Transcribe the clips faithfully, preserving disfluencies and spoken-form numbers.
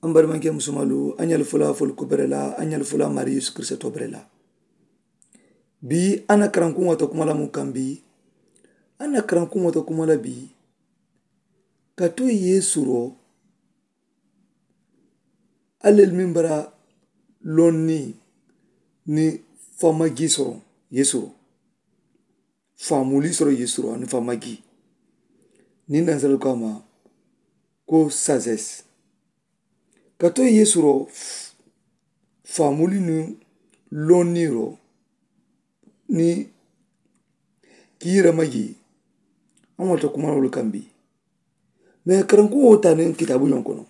An barimanke musumalu, an yali fula fulu kubere la, an yali fula mari yesu kirista tobere la. Bi an na karankuŋo ta kuma la mu kan bi? An na karankuŋo ta kuma la bi? Ka to yesu ro, alel min bara lonni ni famagi soro yesu ro. Famuli soro yesu ro ani famagi ni nan salo kama ko sazes. Ka to yesu ro, famuli ni lonni ro ni kiyira magi. An wata kuma wala kambi. Me karankuŋo tani kitabu yon kono.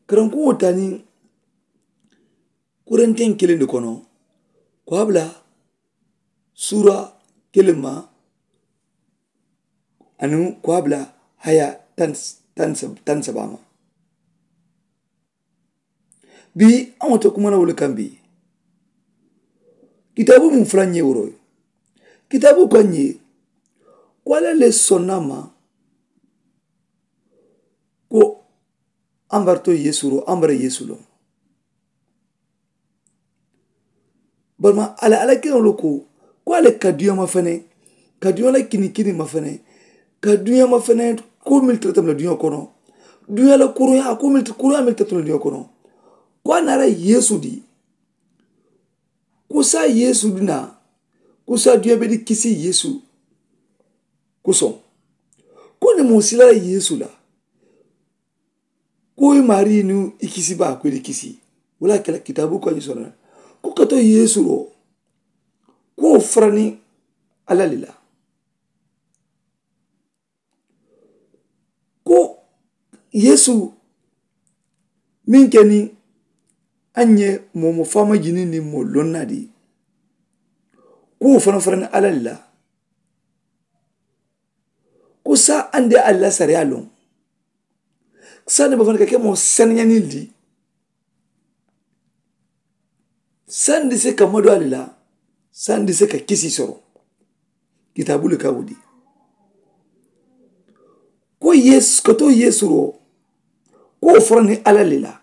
Karankuŋo tani kuranten kelen de kono. Ko abla sura kelen ma aniŋ ko a bula haya tan, tan, tan saba ma. Bii a ŋo te kuma na wo le kaŋ bii. Kitaabu mu fula ŋ ye woro ye. Kitaabu ko a ŋ ye ko alla le sonna ma ko a mbarto yesu ro a mbara yesu loŋ. Bari ma a la alla keno lo ko ko a le ka duña ma fene ka duña la kini kini ma fene ka duña ma fene. Ko mili tara tami la duña kono duña la kuruya ko mili kuruya mili tara tami la duña kono. Ko a nara yesu di ko sa yesu di na ko sa duña be di kisi yesu. Ko soŋ ko ni mo sila la yesu la ko i maari ni i kisi ba ko i di kisi. Wala kala kitabu ko ni sona ko kato yesu ro ko farani alali la. Ko yesu min keni an ye momo fama jini ni mo lonna di ko fana farani alali la. Ko sa an de alla sariya loŋ sani ba fana ka ke mo saniya ni di. Sandi se ka madu ali la sandi se ka kisi soro. Kitabu le ka wudi ko yesu ka to yesu ro ko foro ni alali la.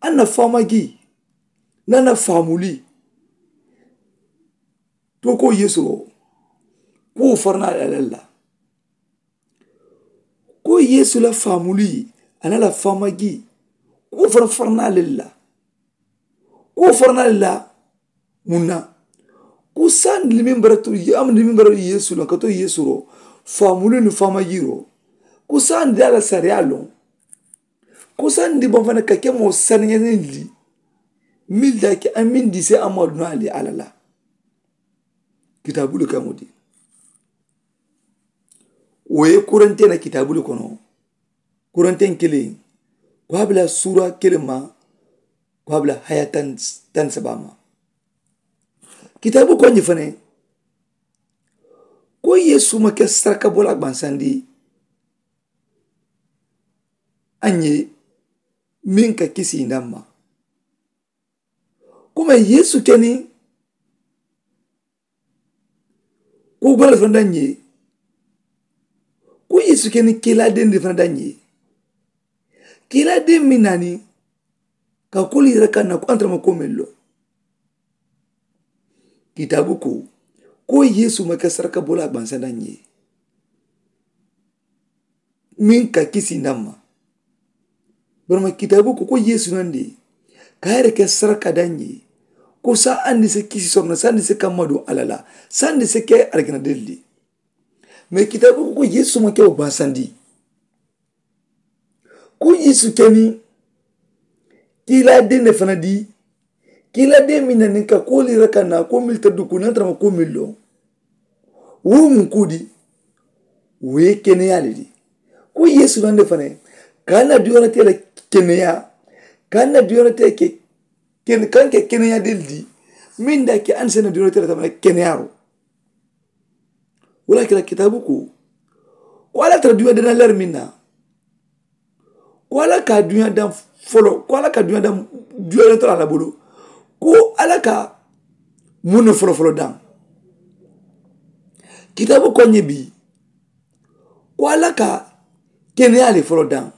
An na fama gi na na famuli to ko yesu ro ko foro ni alali la. Ko yesu la famuli a na la fama gi ko foro foro ni alali la. Ko foro ni alali la. Mun na ko sandi min bara tu am ni min bara yesu la ka to yesu ro famuli ni fama gi ro. Ko sandi ala sariya loŋ ko sandi ban fana ka ke mo saniya ni li. Mil da ke an min di se amma duna ali ala la. Kitabu le kaŋo di wo ye kurante na kitabu le kono. Kurante kelen ko a bila sura kelen ma ko a bila haya tan saba ma. Kitabu ko ni fana ko yesu ma ke saraka bola gbansandi an ye min ka kisi inda ma. Kuma yesu keni ko gbalal fana da ye ko yesu keni kila den de fana da ye. Kila den min nani ka koli yɛrɛ ka na ko an tara ma ko min lo. Kitabu ko ko yesu ma kɛ saraka bola a gbansa da ye min ka kisi na ma. Barama kitabu ko ko yesu nan de ka yɛrɛ kɛ saraka da ye ko sa an di se kisi sɔrɔ na san di se ka madu alala san di se kɛ arigina deli de. Mais kitabu ko ko yesu ma kɛ o gbansa di. Ko yesu kɛ ni kila den de fana di. Kila den min na ni ka ko lira ka na ko mili ta duku nan tara ma ko mili lɔ. Wo mun ko di wo ye keneya le di. Ko yesu nan de fana ka na diyɔrɔ te la keneya ka na diyɔrɔ te ke kan ke keneya del di. Min da ke an sene diyɔrɔ te la tamana keneya ro. Wala kila kitabu ko ko ala tara duniya dana lari min na. Ko ala ka duniya dan folo ko ala ka duniya dan duniya tara ala bolo. Ko ala ka mun folo folo dan. Kitabu ko nye bi ko ala ka keneya le folo dan.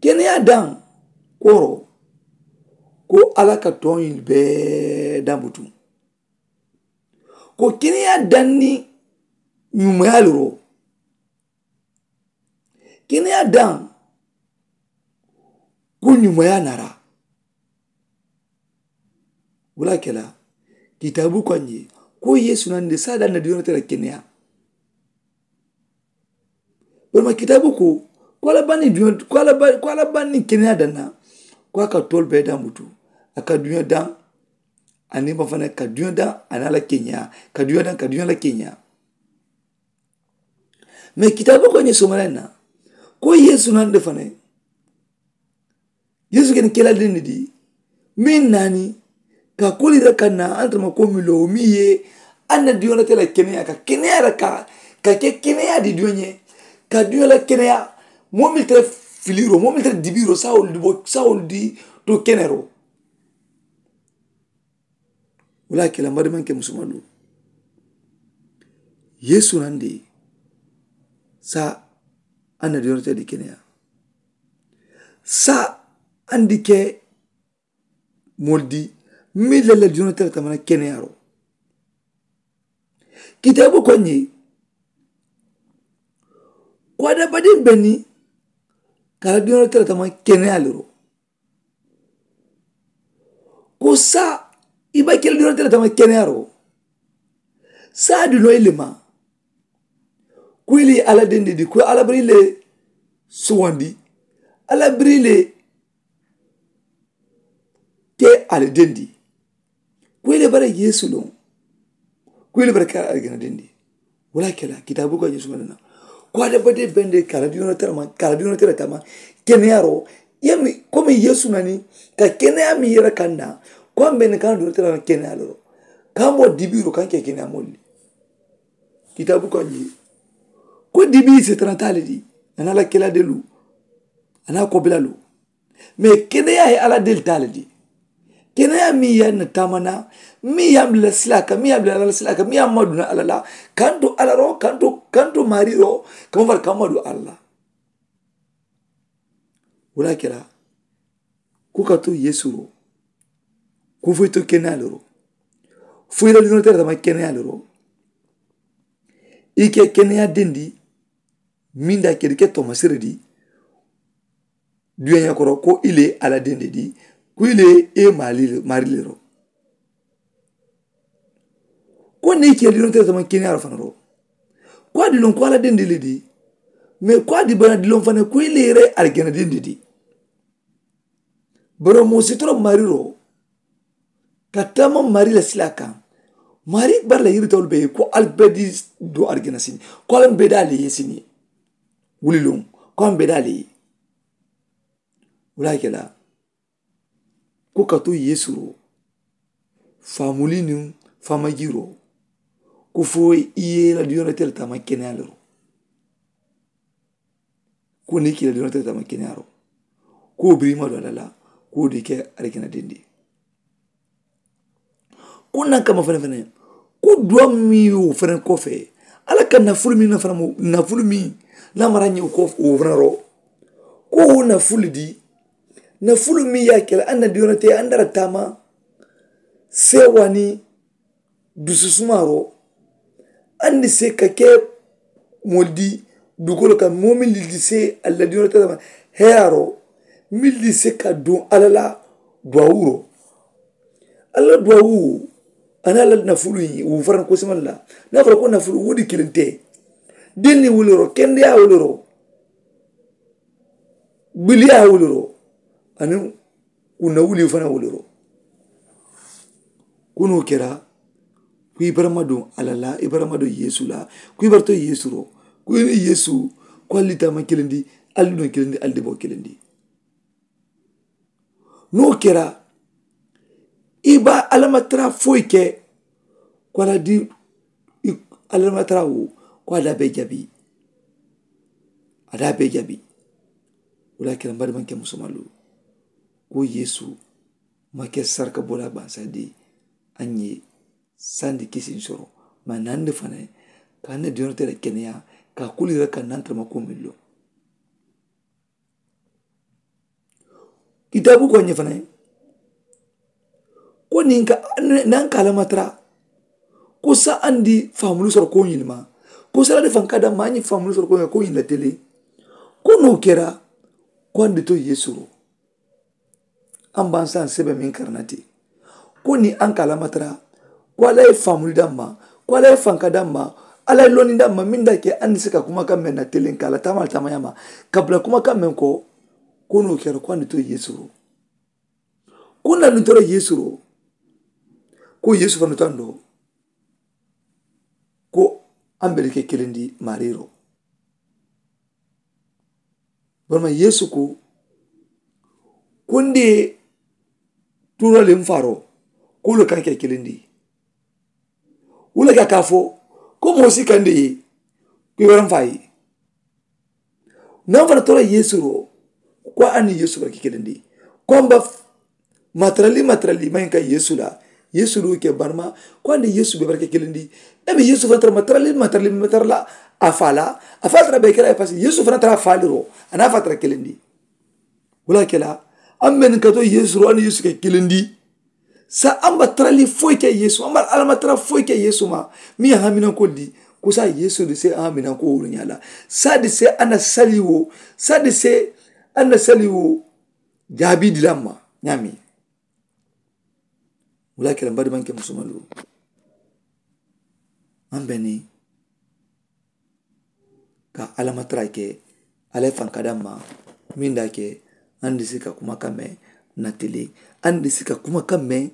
Keneyaa daŋ kooro, ko alla ka tooñi bee daŋ butu. Ko keneyaa daŋ ni ñumeyaalu ro. Keneyaa daŋ ko ñumeyaa nara. Wala kela kitaabu ko a ñe, ko yeesu nandi saada na diyona tela keneyaa. Barima kitaabu ko, ko alla banni diyona ko alla banni keneyaa danna. Ko a ka toolu bee daŋ butu. A ka duña daŋ. Aniŋ ma fana ka duña daŋ aniŋ alla keneyaa ka duña daŋ ka duña la keneyaa. Mee kitaabu ko a ñe somaleŋ na, ko yeesu nandi fana. Yeesu ke ni kela dendi di meŋ naani ka koli reka na antama ko mi loo mi ye. Anna diyoŋ la tela keneya ka keneya reka ka ke keneya di diyoŋ ye. Ka diyoŋ la keneya moo mi tela filiro moo mi tela dibiro sawol di bo sawol di to kenero. Wala kela mari manke musumalu. Yeesu nandi sa anna diyoŋ la tela di keneya. Sa andi ke moolu di meŋ la la diyonoo tara tamana keneyaaroo. Kitaabu ko a ñe ko a dabadiŋ be niŋ ka a la diyonoo tara tamana keneyaaroo. Ko saa i be ke la diyonoo tara tamana keneyaaroo. Saa duloo i le ma ko i le ye alla dendi di ko alla biri le suwandi. Alla biri le ke alla dendi ko i le bara yeesu loŋ. Ko i le bara ke alla gana dendi. Wala ke la kitaabu ko a ñe suma dana ko a dabade bende kala diyona tara ma kala diyona tara tama keneyaaroo. Yami komi yeesu nani ka keneyaa mi yere kanda ko a mbene kana diyona tara ma keneyaa loro. Ka mo dibiro kan ke keneyaa molli. Kitaabu ko a ñi ko dibii seetana taali di ana la kela delu ana kobila lu. Mee keneyaa ye alla delu taali di keneyaa mi ye na tamana mi ye a bila sila ka mi ye a bila alla sila ka mi ye a maduna alla la. Kanto alla ro kanto kanto mari ro kama fara kama du alla. Wala kela ko ka to yeesu ro ko foyi to keneyaa le ro. Foyi la diyona tara tama keneyaa le ro. I ke keneyaa dendi meŋ da kedi ke tomasiri di duyaña koro ko i le alla dendi di ko i le i ye mari le ro. Ko niŋ i ke diyona tara tama keneyaa ro fana ro. Ko a di loŋ ko alla dendi le di mee ko a di bana di loŋ fana ko i le i ye arijana dendi di. Bari moo si tara mari ro ka taama mari la sila kaŋ. Mari bara la yiritolu be ye ko ali be di do arijana sini ko ali be daali ye sini. Wuli loŋ ko ali be daali ye. Wula ke la ko ka to yeesu ro faamuli niŋ faamaji ro ko fo i ye la diyona tele taama keneyaa le ro. Ko niŋ i ke la diyona tele taama keneyaa ro ko wo biriŋ i ma do alla la ko wo di ke arijana dendi. Ko naŋ kamma fanaŋ fanaŋ ko duwa miŋ ye wo fanaŋ kofee alla ka nafulu miŋ nafulu miŋ naŋ mara ñiŋ ko wo fanaŋ ro. Ko wo nafulu di nafulu miŋ ye a ke la alla na diyona te alla na dara taama seewaani dususumaaroo. Andi se ka ke moolu di dukoolu kaŋ moo meŋ lildi se alla diyoo la tara heyaaroo meŋ lildi se ka duŋ alla la duwawuroo. Alla duwawuu aniŋ alla nafulu ñiŋ wuu faraŋ kosimaŋ la. Niŋ a fara ko nafulu wuu di kiliŋ te. Denni wuliroo kendeyaa wuliroo biliyaa wuliroo aniŋ kunna wulii fanaŋ wuliroo. Ko niŋ wo kera ko i barama duŋ alla la i barama duŋ yeesu la ko i bara to yeesu ro ko i niŋ yeesu ko ali di taama kiliŋ di ali duŋ kiliŋ di ali di boo kiliŋ di. Niŋ wo kera i be a lamatara foyi ke ko a la di a lamatara wo ko a daa bee jabi. A daa bee jabi. Wo le ye a kera mari maŋ ke musomalu ko yeesu ma ke saraka bola baŋ sandi a ñe sandi kisiŋ soro ma nandi fanaŋ ka na diyonte la keneya ka kuli ra ka nantama ko millo. Kitaabu ko a ñe fanaŋ ko niŋ ka naŋ ka a lamatara ko sa a ndi faamulu soro ko ñiŋ ma ko sa la de faŋ ka daŋ ma a ñiŋ faamulu soro ko ñiŋ la tele ko noo kera ko a ndi to yeesu ro. A mba a saŋ sebe meŋ kara na ti ko niŋ a ka a lamatara ko a la ye faamulu daŋ ma ko a la ye faŋ ka daŋ ma a la ye londi daŋ ma meŋ da ke a ndi si ka kuma kaŋ meŋ na tele ka a la taama a la taama ñaama ka bula kuma kaŋ meŋ ko ko noo kera ko a ndi to yeesu ro. Ko n na nuŋ tara yeesu ro ko yeesu fanaŋ tandoo ko a mbe le ke kiliŋ di maariiro. Barima yeesu ko ko n de tuura le n faaroo ko wo le kaŋ ke kiliŋ di. Wo le ka ka a fo ko moo si ka n de ye ko i wara n faa ye. Naŋ fanaŋ tara yeesu ro ko a niŋ yeesu bara ke kiliŋ di ko a mba matarali matarali maŋ ka yeesu la. Yeesu ro ke barima ko a niŋ yeesu be bara ke kiliŋ di. Emi yeesu fanaŋ tara matarali matarali matarala a faa la a faa tara be kela ye pasi yeesu fanaŋ tara a faa le ro a niŋ a faa tara kiliŋ di. Wo le ke la a mbe niŋ ka to yeesu ro a niŋ yeesu ke kiliŋ di. Sa a mba tarali foyi ke yeesu a mba alamatara foyi ke yeesu ma. Miŋ ye haminankoo di ko sa yeesu di se a haminankoo wuru ñaa la sa di se a na sali wo sa di se a na sali wo jaabii di la ma ñaami. Wo le ke la mba di maŋ ke musumalu a mbe niŋ ka alamatara ke. Alla ye faŋ ka daŋ ma miŋ da ke a ndi si ka kuma kaŋ meŋ natili a ndi si ka kuma kaŋ meŋ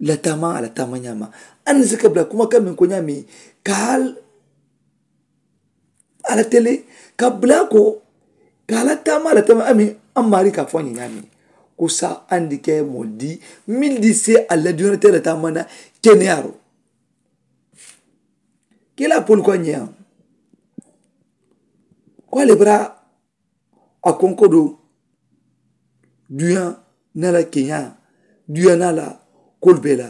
la taama a la taama ñaama. A ndi si ka bula kuma kaŋ meŋ ko ñaami ka a la tele ka bula ko ka a la taama a la taama ami a maari ka fo a ñe ñaami. Ko sa a ndi ke moo di miŋ di se a la duniyaa te la taama na keneyaaro. Kila polu ko a ñeyaŋ ko a le bara a konkodo duya na la keña duya na la kolu bee la.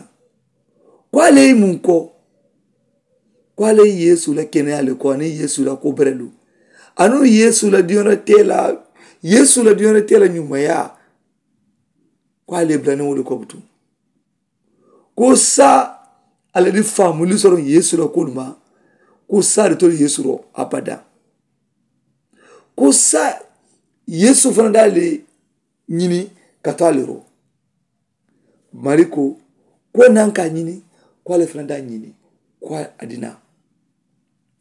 Ko a le ye muŋ ko ko a le ye yeesu la keneya le ko aniŋ yeesu la ko berelu aniŋ yeesu la diyona te la yeesu la diyona te la ñumaya. Ko a le ye bula niŋ wo le ko butu ko sa a la di faamuli soroŋ yeesu la kolu ma. Ko sa di tolu yeesu ro abada. Ko sa yeesu fana da le ñini ka to a le ro. Mari ko ko naŋ ka ñini ko a le fana da ñini ko a dina.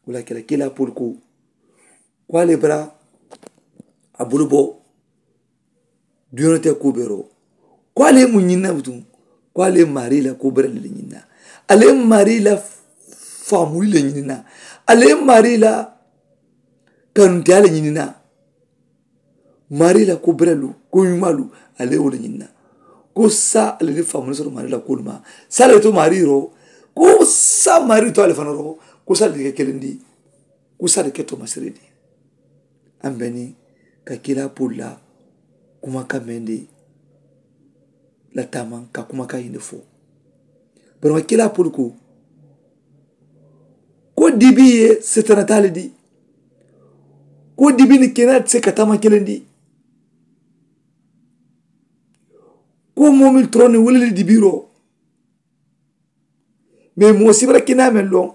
Wo la kela kila polu ko ko a le bara a bulu bo duniya te ko bero. Ko a le mu ñinna butu ko a le mari la ko bere le ñinna. A le mari la famuli le ñinna. A le mari la kanuntiya le ñinna. Mari la ko berelu ko ñumalu a le wo le ñinna. Ko sa a le ni famuli soro mari la ko ma sa le to mari ro ko sa mari to a le fana ro ko sa le ke kelendi. Ko sa le ke to masiridi. An beni ka kila polu la kuma kaŋ meŋ di la taaman ka kuma kaŋ yindi fo. Bari ma kila polu ko ko dibi ye setanata le di. Ko dibi ni kena ti se ka taama kelendi. Ko moo meŋ toroŋ ni wuli le dibiro. Mais moo si bara kena meŋ loŋ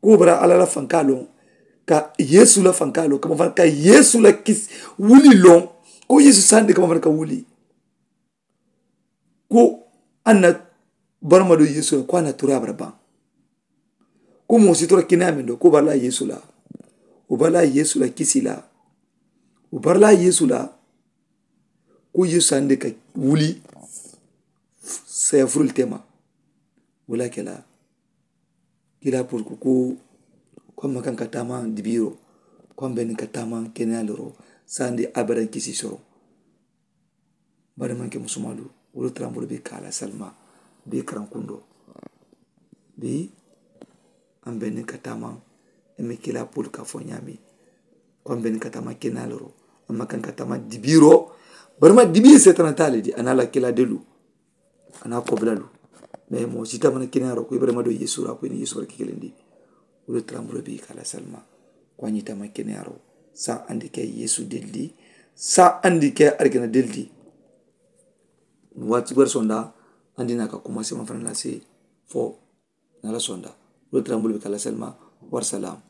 ko bara alla la fanka loŋ ka yeesu la fanka loŋ kama fana ka yeesu la kisi wuli loŋ. Ko yeesu sandi kama fana ka wuli ko a na barama do yeesu la ko a na tura bara baŋ. Ko moo si tora kinaa meŋ do ko bara la yeesu la wo bara la yeesu la kisi la wo bara la yeesu la. Ko yeesu sandi ka wuli sayafurul tema. Wo la kela kila purku ko ko a ma kaŋ ka taama dibiiro ko a ma beni ka taama keneya loro sandi abadaŋ kisi soro. Bari maŋ ke musumalu wolu tarambolu be ka a la salima be karaŋ kundo. Bi a ma beni ka taama i ma kila purku ka fo ñaami. Ko a ma beni ka taama keneya loro a ma kaŋ ka taama dibiiro. Bari ma dibii seetana taa le di a na a la kila delu a na a kobila lu. Mais moo si tamana keneyaaro ko ibrahima do yeesu ra ko i ni yeesu barke kelendi. Wolu taramburo bi ka la salma ko a ñi tama keneyaaro sa andi ke yeesu deldi. Saa andi ke arikina deldi. Waati bari sonda andi na ka kuma sema fana la se fo na la sonda. Wala tara mbulu be kala selma. War salam.